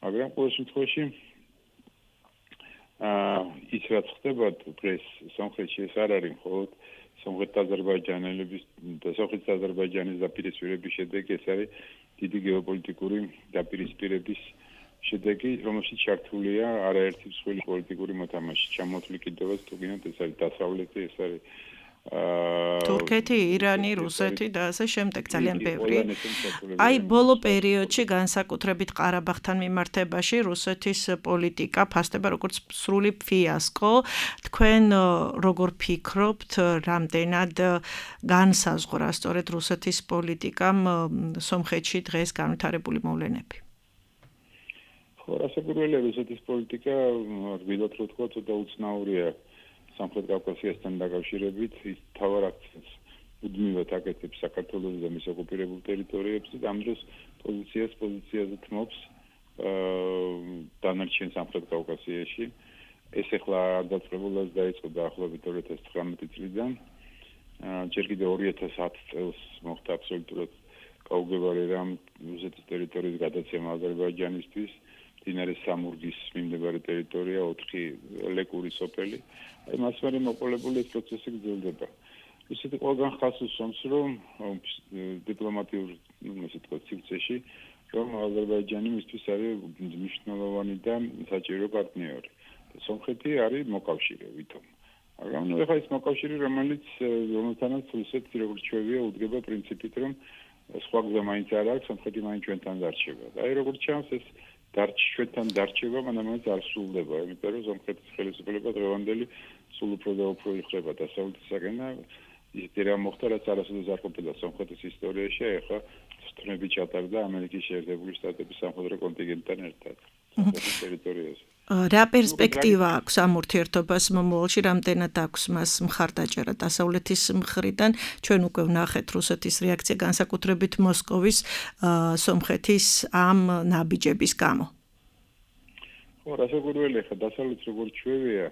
მაგრამ ყოველ შემთხვევაში ის რაც ხდება დღეს სომხეთში, ეს არ არის მხოლოდ სომხეთ-აზერბაიჯანელების და სომხეთ-აზერბაიჯანის დაპირისპირების შედეგი, ეს არის დიდი გეოპოლიტიკური დაპირისპირების შედეგი, რომელშიც ჩართულია არაერთი მსხვილი პოლიტიკური მოთამაშე. ჩამოთვლი კიდევაც თუ გინდათ, ეს არის დასავლეთი, ეს არის თურქეთი, ირანი, რუსეთი და ასე შემდეგ, ძალიან ბევრი. აი ბოლო პერიოდში განსაკუთრებით ყარაბაღთან მიმართებაში რუსეთის პოლიტიკა ფასდება როგორც სრული ფიასკო. თქვენ როგორ ფიქრობთ, რამდენად განსაზღვრა სწორედ რუსეთის პოლიტიკამ სომხეთში დღეს განვითარებული მოვლენები? რასაკვირველია, რუსეთის პოლიტიკა, ვიდრე რო თქვა, ცოტა უცნაურია სამხრეთ კავკასიასთან დაკავშირებით, ის თავარ აქცენტს მუდმივად აკეთებს საქართველოს და მის ოკუპირებულ ტერიტორიებზე და ამ დროს პოზიციაზე თმობს დანარჩენ სამხრეთ კავკასიაში. ეს ახლა არ დაწყებულას დაიწყო დაახლოებით 2019 წლიდან. ჯერ კიდევ 2010 წელს მოხდა აბსოლუტურად გაუგებარი რამ რუსეთის ტერიტორიის გადაცემა აზერბაიჯანისთვის. მდინარე სამურგის მიმდებარე ტერიტორია 4 ლეკური სოფელი. აი მას მერე მოყოლებული ეს პროცესი გრძელდება. ისეთი ყველგან ხას უსვამს, რომ დიპლომატიურ, ესე თქვა, სივრცეში, რომ აზერბაიჯანი მისთვის არის მნიშვნელოვანი და საჭირო პარტნიორი. სომხეთი არის მოკავშირე ვითომ. მაგრამ ეხლა ეს მოკავშირე, რომელთანაც რუსეთს როგორც ჩვევია უდგება პრინციპით, რომ სხვა გზა მაინც არ აქვს, სომხეთი მაინც ჩვენთან დარჩება. და აი როგორც ჩანს ეს ჩვენთან დარჩება, მანამდე არ სრულდება, იმიტომ რომ სომხეთის ხელისუფლება დღევანდელი სულ უფრო და უფრო იხრება დასავლეთისაკენ და ისეთი რამ მოხდა, რაც არასოდეს არ ყოფილა სომხეთის ისტორიაში, ახლა სტრუნები ჩატარდა ამერიკის შეერთებული შტატების სამხედრო კონტინგენტთან ერთად სომხეთის ტერიტორიაზე. რა პერსპექტივა აქვს ამ ურთიერთობას მომავალში, რამდენად აქვს მას მხარდაჭერა დასავლეთის მხრიდან? ჩვენ უკვე ვნახეთ რუსეთის რეაქცია განსაკუთრებით მოსკოვის სომხეთის ამ ნაბიჯების გამო. ხო, რასაკვირველია, ხა დასავლეთ როგორც ჩვევია,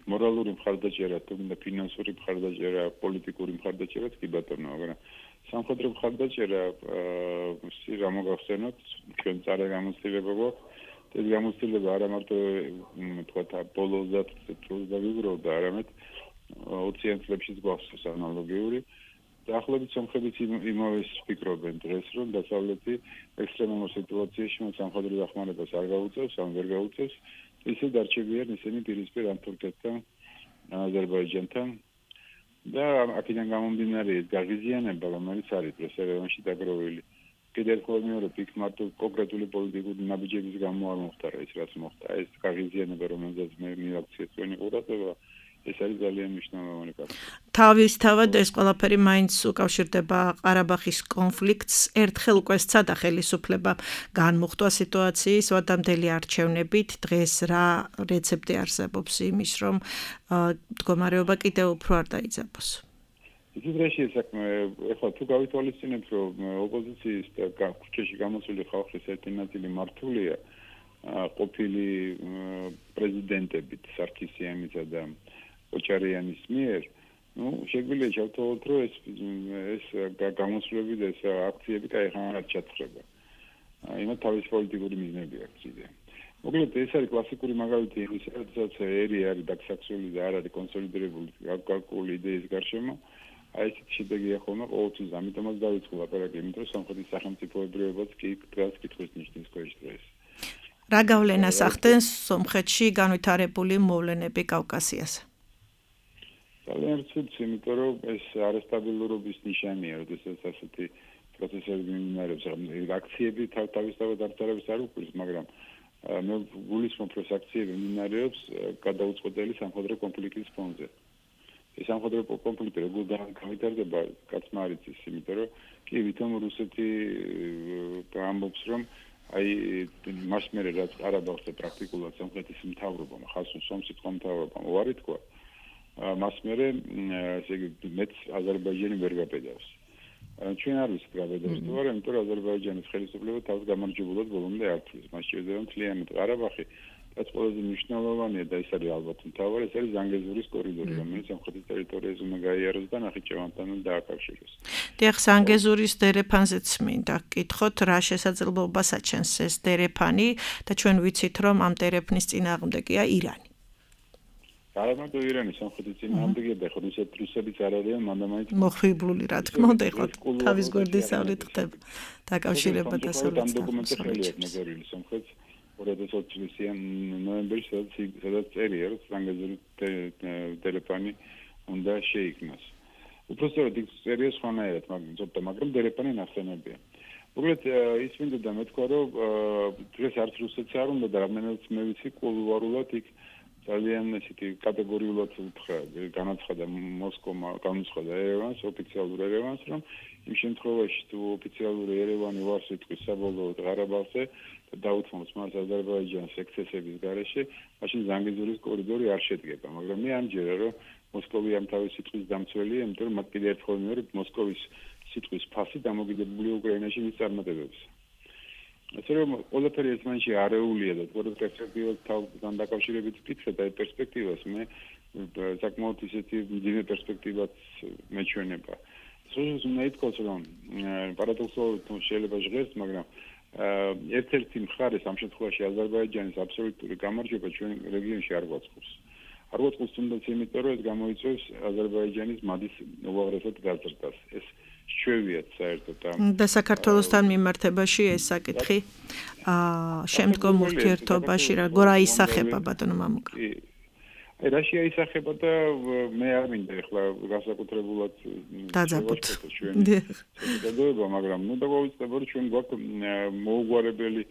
მორალური მხარდაჭერა, თუმცა ფინანსური მხარდაჭერა, პოლიტიკური მხარდაჭერაც კი ბატონო, მაგრამ სამხედრო მხარდაჭერა რა მოგახსენოთ, ჩვენ წარე გამოცდილება გვაქვს. ეს გამოცდილება არა მარტო თქვა ბოლო 30 წელს დავიგროვდა, არამედ 20 წლებშიც გვახსოვს ანალოგიური. დაახლოებით სომხებიც იმავეს ფიქრობენ დღეს, რომ დასავლეთი ექსტრემალურ სიტუაციაში სამხედრო დახმარებას არ გაუწევს, ან ვერ გაუწევს. ისე დარჩებიან ისინი პირისპირ ან თურქეთთან, აზერბაიჯანთან და აქედან გამომდინარე ეს გაღიზიანება, რომელიც არის პრესერვანში დაგროვილი. კიდევ ერთხელ მეორე პიკ მარტო კონკრეტული პოლიტიკური ნაბიჯების გამო არ მოხდა ეს რაც მოხდა. ეს გაღიზიანება, რომელზეც მე მივაქციე თქვენი ყურადღება, ეს არის ძალიან მნიშვნელოვანი ფაქტორი. თავისთავად ეს ყველაფერი მაინც უკავშირდება ყარაბაღის კონფლიქტს. ერთხელ უკვე სცადა ხელისუფლება განმუხტვა სიტუაციის ვადამდელი არჩევნებით. დღეს რა რეცეპტი არსებობს იმის, რომ მდგომარეობა კიდევ უფრო არ დაიძაბოს? ისედრეში საქმე, ეხლა თუ გავითვალისწინებთ, რომ ოპოზიციის და ქუჩაში გამოსული ხალხის ერთი ნაწილი მართულია ყოფილი პრეზიდენტებით სარქისიანისა და ოჭარიანის მიერ, შეგვიძლია ჩავთვალოთ, რომ ეს გამოსვლები და ეს აქციები კაიხანად ჩათხრება. იმათ თავის პოლიტიკური მიზნები აქვს იდეა. მოკლედ ეს არის კლასიკური მაგალითი იმისა, როდესაც ერი არის დაგსაქსული და არ არის კონსოლიდირებული გარკვეული იდეის გარშემო. აი ეს შედეგია ხოლმე ყოველთვის, ამიტომაც დავიწყო ლაპარაკი, იმიტომ რომ სამხრეთის სახელმწიფოებრიობაც კი დღეს კითხვის ნიშნის ქვეშ დღეს. რა გავლენას ახდენს სომხეთში განვითარებული მოვლენები კავკასიაზე? ძალიან ცუდს, იმიტომ რომ ეს არასტაბილურობის ნიშანია, როდესაც ასეთი პროცესები მიმდინარეობს. აქციები თავისთავად არც არ უკვირს, მაგრამ მე გულისხმობ, რომ აქციები მიმდინარეობს გადაუწყვეტელი სამხედრო კონფლიქტის ფონზე. ეს სამხედრო კონფლიქტი როგორ განვითარდება, კაცმა არ იცის, იმიტომ რომ კი ვითომ რუსეთი ამბობს, რომ აი მას მერე რაც ყარაბაღს და პრაქტიკულად სომხეთის მთავრობამ, ხალხს სომხეთის მთავრობამ უარი თქვა, მას მერე ესე იგი მეც აზერბაიჯანი ვერ გაბედავს. ჩვენ არ ვიცით გაბედავს თუ არა, იმიტომ რომ აზერბაიჯანის ხელისუფლება თავს გამარჯვებულად ბოლომდე არ თვლის. მას შეიძლება მთლიანად ყარაბაღი რაც ყველაზე მნიშვნელოვანია და ეს არის ალბათ მთავარი, ეს არის ზანგეზურის კორიდორი, რომელიც სამხრეთის ტერიტორიაზე უნდა გაიაროს და ნახიჩევანთან დააკავშიროს. დიახ, ზანგეზურის დერეფანზეც მინდა გკითხოთ, რა შესაძლებლობას აჩენს ეს დერეფანი და ჩვენ ვიცით, რომ ამ დერეფნის წინააღმდეგია ირანი. არა მარტო ირანი, სამხრეთის წინააღმდეგია და ხო რუსებიც არ არიან მანდამაინც მოხიბლული, რა თქმა უნდა, იყო თავის გვერდისავლით ხდება დაკავშირება დასავლეთ საფრანგეთის 2020 წლის ნოემბერში სადაც წერია, რომ ზანგეზურის დერეფანი უნდა შეიქმნას. უпростоრად იქ წერია სხვანაირად, მაგრამ დერეფანი ნახსენებია. მოკლედ ის მინდა და მეთქვა, რომ დღეს არც რუსეთს არ უნდა და რამდენადაც მე ვიცი, კულუარულად იქ ძალიან ისეთი კატეგორიულად განაცხადა მოსკოვმა, განაცხადა ერევანს, ოფიციალურ ერევანს, რომ იმ შემთხვევაში თუ ოფიციალური ერევანი უარს იტყვის საბოლოოდ ყარაბაღზე და დაუთმობს მას აზერბაიჯანს ექსცესების გარეშე, მაშინ ზანგეზურის კორიდორი არ შედგება, მაგრამ მე ამჯერა რომ მოსკოვი ამ თავის სიტყვის დამცველია, იმიტომ რომ მათ კიდევ ერთხელ მიორებ მოსკოვის სიტყვის ფასი დამოკიდებულია უკრაინაში მის წარმატებებზე. ასე რომ ყველაფერი ერთმანეთში არეულია და თორე პერსპექტივასთან დაკავშირებით ვკითხეთ აი პერსპექტივას მე საკმაოდ ისეთი მძიმე პერსპექტივაც მეჩვენება. სულ უნდა ითქვას რომ პარადოქსულად შეიძლება ჟღერს, მაგრამ ერთ-ერთი მხარეს ამ შემთხვევაში აზერბაიჯანის აბსოლუტური გამარჯვება ჩვენ რეგიონში არ გვაწყობს. არ გვაწყობს თუნდაც იმიტომ რომ ეს გამოიწვევს აზერბაიჯანის მადის უაღრესად გაზრდას. ეს ჩვევიათ საერთოდ და საქართველოსთან მიმართებაში ეს საკითხი შემდგომ ურთიერთობაში როგორ აისახება ბატონო მამუკა? აი რა შეისახება და მე არ მინდა ახლა განსაკუთრებულად დაძაბოთ ჩვენ მაგრამ ნუ დაგვავიწყდება რომ ჩვენ გვაქვს მოუგვარებელი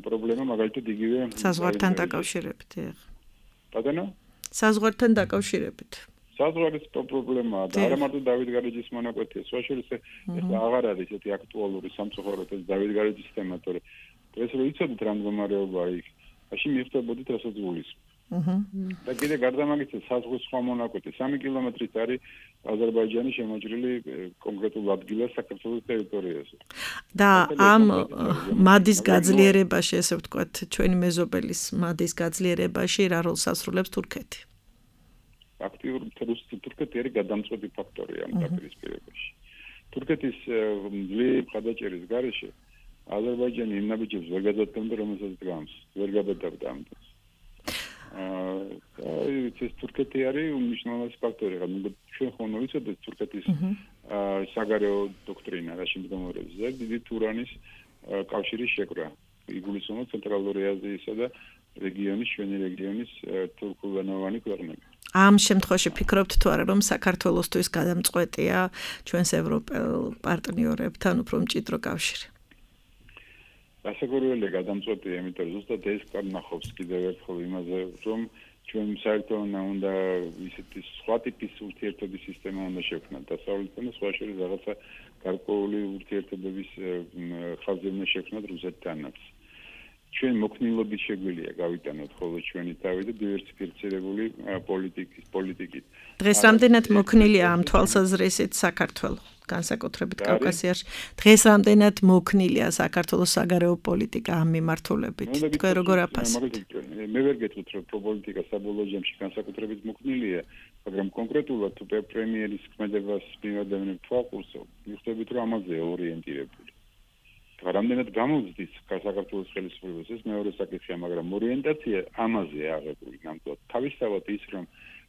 პრობლემა მაგალითად იგივე საზღვართან დაკავშირებით ბატონო საზღვართან დაკავშირებით საზღვარის პრობლემაა და არა მარტო დავით გარეჯის მონაკვეთია, სხვა შორის ახლა აღარ არის ესეთი აქტუალური სამწუხაროდ ეს დავით გარეჯის თემა, თორე ეს რო იცოდით რა მდგომარეობაა იქ, მაშინ მიხვდებოდით რასაც გულისხმობ. და კიდე გარდა ამისა საზღვრის სხვა მონაკვეთი 3 კილომეტრით არის აზერბაიჯანის შემოჭრილი კონკრეტულ ადგილას საქართველოს ტერიტორიაზე. და ამ მადის გაძლიერებაში, ესე ვთქვათ, ჩვენი მეზობელის მადის გაძლიერებაში რა როლს ასრულებს თურქეთი? აქტიური თურქეთი არის გადამწყვეტი ფაქტორი ამ დაპირისპირებაში. თურქეთის ძლიერი მხარდაჭერის გარეშე აზერბაიჯანი იმ ნაბიჯებს ვერ გადაწყვეტდა, რომელსაც დგამს, ვერ გადაწყვეტდა ამ დროს. ეს თურქეთი არის უმნიშვნელოვანესი ფაქტორი, მაგრამ ჩვენ ხომ ვიცოდეთ თურქეთის საგარეო დოქტრინა რა შემდგომარეობს. დიდი თურანის კავშირის შეკრა. იგულისხმება ცენტრალური აზიისა და რეგიონის, ჩვენი რეგიონის თურქულენოვანი ქვეყნები. ამ შემთხვევაში ფიქრობთ თუ არა რომ საქართველოსთვის გადამწყვეტია ჩვენს ევროპელ პარტნიორებთან უფრო მჭიდრო კავშირი? გასაგებია გადამწყვეტია, იმიტომ რომ ზუსტად ეს კარნახობს კიდევ ერთხელ იმაზე, რომ ჩვენ საერთოდ უნდა ისეთი სხვა ტიპის ურთიერთობის სისტემა უნდა შევქმნათ დასავლეთთან და სხვა შორის რაღაცა გარკვეული ურთიერთობების ხაზი უნდა შევქმნათ რუსეთთანაც. ჩვენ მოქნილობით შეგვიძლია გავიტანოთ ხოლმე ჩვენი თავი და დივერსიფიცირებული პოლიტიკით. დღეს რამდენად მოქნილია ამ თვალსაზრისით საქართველოს, განსაკუთრებით კავკასიაში? დღეს რამდენად მოქნილია საქართველოს საგარეო პოლიტიკა ამ მიმართულებით? თქვენ როგორ აფასებთ? მე ვერ გეტყვით რომ პოლიტიკა საბოლოო ჯამში განსაკუთრებით მოქნილია, მაგრამ კონკრეტულად თუ პრემიერის ქმედებას მივადევნებ თვალყურს, მიხვდებით რომ ამაზეა ორიენტირებული. რამდენად გამოვზდის საქართველოს ხელისუფლებას ეს მეორე საკითხია, მაგრამ ორიენტაცია ამაზე აღებული ნამდვილად. თავისთავად ის რომ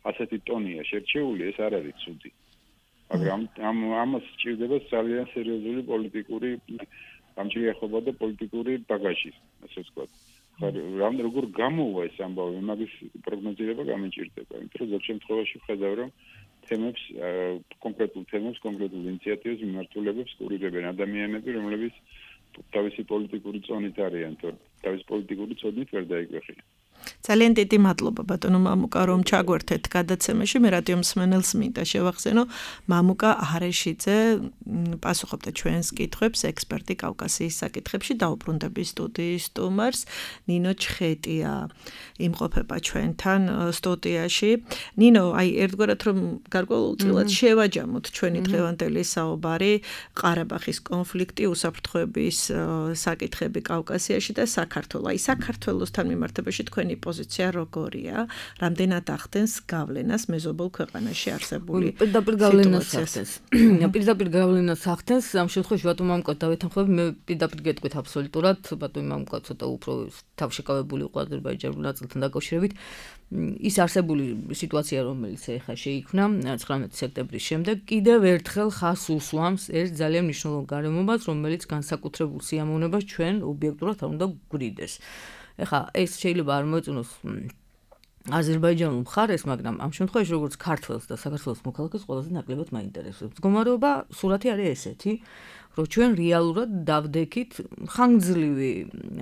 ასეთი ტონია შერჩეული, ეს არ არის ცუდი. მაგრამ ამას სჭირდება ძალიან სერიოზული პოლიტიკური გამჭირვება და პოლიტიკური ბაგაჟი, ასე ვთქვათ. როგორ გამოვა ეს ამბავი, მაგის პროგნოზირება გამიჭირდება, იმიტომ რომ ზოგ შემთხვევაში ვხედავ რომ თემებს, კონკრეტულ თემებს, კონკრეტულ ინიციატივებს მიმართულებებს კურირებენ ადამიანები, რომლებიც თავისი პოლიტიკური წონით არიან, თავისი პოლიტიკური წონით ვერ დაიკვეხიან. ძალიან დიდი მადლობა ბატონო მამუკა რომ ჩაგვერთეთ გადაცემაში. მე რადიო მსმენელს მინდა შევახსენო, მამუკა არეშიძე პასუხობდა ჩვენს კითხვებს, ექსპერტი კავკასიის საკითხებში, დაუბრუნდების სტუდიის სტუმარს. ნინო ჩხეტია იმყოფება ჩვენთან სტუდიაში. ნინო, აი ერთგვარად რომ გარკვეულწილად შევაჯამოთ ჩვენი დღევანდელი საუბარი, ყარაბაღის კონფლიქტი, უსაფრთხოების საკითხები კავკასიაში და საქართველო. აი საქართველოსთან მიმართებაში თქვენი პოზიცია როგორია? რამდენად ახდენს გავლენას მეზობელ ქვეყანაში არსებული სიტუაციას? პირდაპირ გავლენას ახდენს. ამ შემთხვევაში ბატონო მამუკა დავეთანხმები, მე პირდაპირ გეტყვით აბსოლუტურად. ბატონო მამუკა ცოტა უფრო თავშეკავებული იყო აზერბაიჯანულ ნაწილთან დაკავშირებით. ის არსებული სიტუაცია, რომელიც ეხლა შეიქმნა 19 სექტემბრის შემდეგ, კიდევ ერთხელ ხაზს უსვამს ერთ ძალიან მნიშვნელოვან გარემომას, რომელიც განსაკუთრებულ სიამოვნებას ჩვენ ობიექტურად არ უნდა გვგვრიდეს. ეხლა ეს შეიძლება არ მოეწონოს აზერბაიჯანულ მხარეს, მაგრამ ამ შემთხვევაში როგორც ქართველს და საქართველოს მოქალაქეს ყველაზე ნაკლებად მაინტერესებს. მდგომარეობა სურათი არის ესეთი, რომ ჩვენ რეალურად დავდექით ხანგრძლივი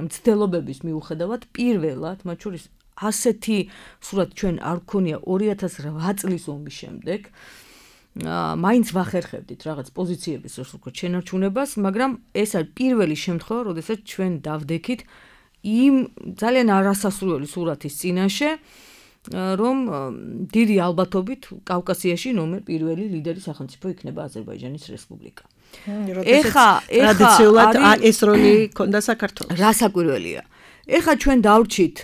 მცდელობების მიუხედავად პირველად, მათ შორის ასეთი სურათ ჩვენ არ გქონია 2008 წლის ომის შემდეგ. მაინც ვახერხებდით რაღაც პოზიციების უბრალოდ შენარჩუნებას, მაგრამ ეს არის პირველი შემთხვევა, როდესაც ჩვენ დავდექით იმ ძალიან არასასურველი სურათის წინაშე, რომ დიდი ალბათობით კავკასიაში ნომერ პირველი ლიდერი სახელმწიფო იქნება აზერბაიჯანის რესპუბლიკა. ეხა ტრადიციულად ეს როლი ქონდა საქართველოს. რა საკვირველია. ეხა ჩვენ დავრჩით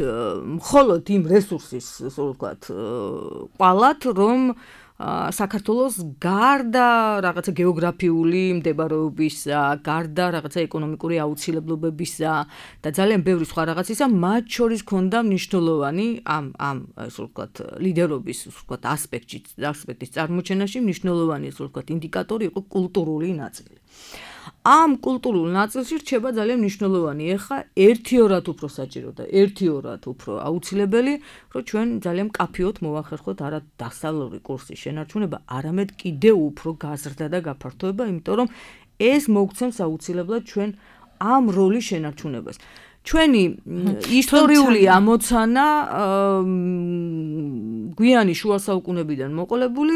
მხოლოდ იმ რესურსის, ასე ვთქვათ, ყვალად, რომ საქართველოს გარდა რაღაცა გეოგრაფიული მდებარეობისა, გარდა რაღაცა ეკონომიკური აუცილებლობებისა და ძალიან ბევრი სხვა რაღაცისა, მათ შორის ქონდა მნიშვნელოვანი ამ ასე ვთქვათ, ლიდერობის, ასე ვთქვათ, ასპექტის წარმოჩენაში მნიშვნელოვანი, ასე ვთქვათ, ინდიკატორი იყო კულტურული ნაწილი. ამ კულტურულ ნაწილში რჩება ძალიან მნიშვნელოვანი ეხა ერთიორად უფრო საჭირო და ერთიორად უფრო აუცილებელი, რომ ჩვენ ძალიან მკაფიოდ მოვახერხოთ არა დასავლური კურსის შენარჩუნება, არამედ კიდევ უფრო გაზრდა და გაფართოება, იმიტომ რომ ეს მოგცემს აუცილებლად ჩვენ ამ როლის შენარჩუნებას. ჩვენი ისტორიული ამოცანა გვიანი შუა საუკუნეებიდან მოყოლებული,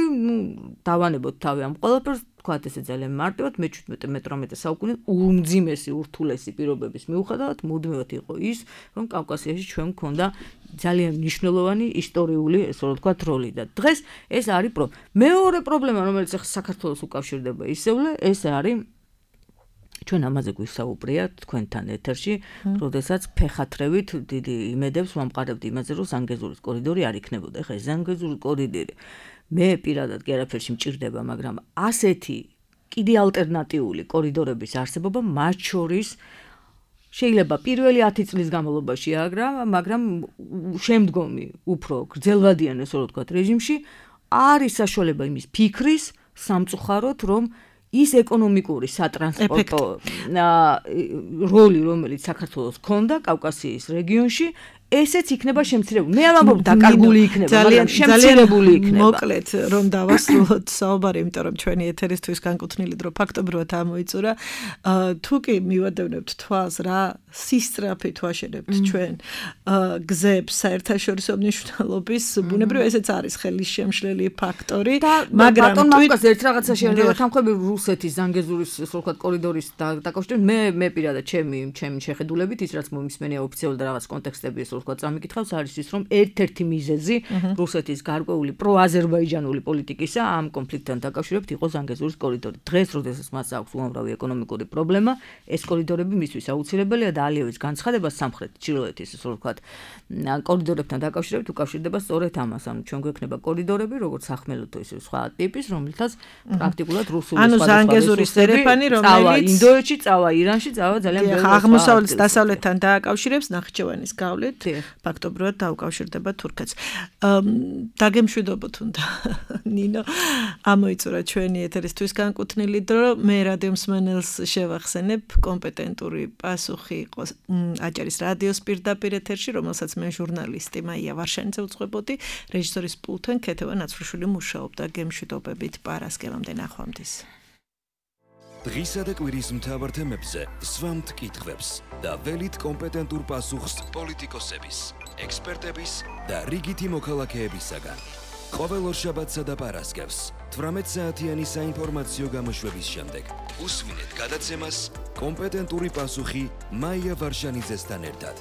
დავანებოთ თავი ამ ყველაფერს, თქვათ ესე ძალიან მარტივად, მე-17-18 საუკუნე უმძიმესი ურთულესი პირობების მიუხედავად მუდმივად იყო ის, რომ კავკასიაში ჩვენ გქონდა ძალიან მნიშვნელოვანი ისტორიული, ესე ვთქვათ, როლი და დღეს ეს არის მეორე პრობლემა, რომელიც ახლა საქართველოს უკავშირდება ისევლე, ეს არის ჩვენ ამაზე გვისაუბრია თქვენთან ეთერში, როდესაც ფეხათრევით დიდი იმედებს ვამყარებდი იმაზე, რომ ზანგეზურის კორიდორი არ იქნებოდა. ეხლა ეს ზანგეზურის კორიდორი მე პირადად კი არაფერში მჭირდება, მაგრამ ასეთი კიდე ალტერნატიული კორიდორების არსებობა მათ შორის შეიძლება პირველი 10 წლის განმავლობაში მაგრამ შემდგომი უფრო გრძელვადიან, ასე ვთქვათ, რეჟიმში არის საშუალება იმის ფიქრის სამწუხაროდ, რომ ის ეკონომიკური სატრანსპორტო როლი, რომელიც საქართველოს ჰქონდა კავკასიის რეგიონში, ესეც იქნება შემცირებული. მე არ ვამბობ დაკარგული იქნება, მაგრამ შემცირებული იქნება. მოკლედ, რომ დავასრულოთ საუბარი, იმიტომ რომ ჩვენი ეთერისთვის განკუთვნილი დრო ფაქტობრივად ამოიწურა. თუ კი მივადევნებთ თვალს, რა სისწრაფით ვაშენებთ ჩვენ გზებს საერთაშორისო მნიშვნელობის, ბუნებრივად ესეც არის ხელისშემშლელი ფაქტორი, მაგრამ მამუკას ერთ რაღაცა შეიძლება თანხმები რუსეთის ზანგეზურის, ასე ვთქვათ, კორიდორის დაკავშირებით, მე პირადად ჩემი შეხედულებით, ის რაც მომისმენია ოფიციალურად და რაღაც კონტექსტები ვთქვათ, წამიკითხავს არის ის, რომ ერთ-ერთი მიზეზი რუსეთის გარკვეული პროაზერბაიჯანული პოლიტიკისა ამ კონფლიქტთან დაკავშირებით იყო ზანგეზურის კორიდორი. დღეს, როდესაც მას აქვს უამრავი ეკონომიკური პრობლემა, ეს კორიდორები მისთვის აუცილებელია და ალიევის განცხადება სამხრეთ ჩრდილოეთის, ასე ვთქვათ, კორიდორებთან დაკავშირებით უკავშირდება სწორედ ამას. ანუ ჩვენ გვექნება კორიდორები, როგორც სახმელეთო, ისე სხვა ტიპის, რომელთაც პრაქტიკულად რუსული ანუ ზანგეზურის ტერეფანი, რომელიც ინდოეთში, წავა ირანში, წავა ძალიან ბევრი აღმოსავლეთ დასავლეთთან დააკავშირებს ნახიჩევანის გავლით. ფაქტობრივად დაუკავშირდება თურქეთს. დაგემშვიდობოთ უნდა ნინო ამოიწურა ჩვენი ეთერისთვის განკუთვნილი დრო. მე რადიო მსმენელს შევახსენებ, კომპეტენტური პასუხი იყო აჭარის რადიოს პირდაპირ ეთერში, რომელსაც მე ჟურნალისტი მაია ვარშანიძე უძღვებოდი, რეჟისორის პულტთან ქეთევან აცრუშვილი მუშაობდა. გემშვიდობებით პარასკევამდე ნახვამდის. დღისა და კვირის მთავარ თემებზე სვამთ კითხვებს და ველით კომპეტენტურ პასუხს პოლიტიკოსების, ექსპერტების და რიგითი მოქალაქეებისაგან. ყოველ ორშაბათსა და პარასკევს 18 საათიანი საინფორმაციო გამოშვების შემდეგ უსვინეთ გადაცემას კომპეტენტური პასუხი მაია ვარშანიძესთან ერთად.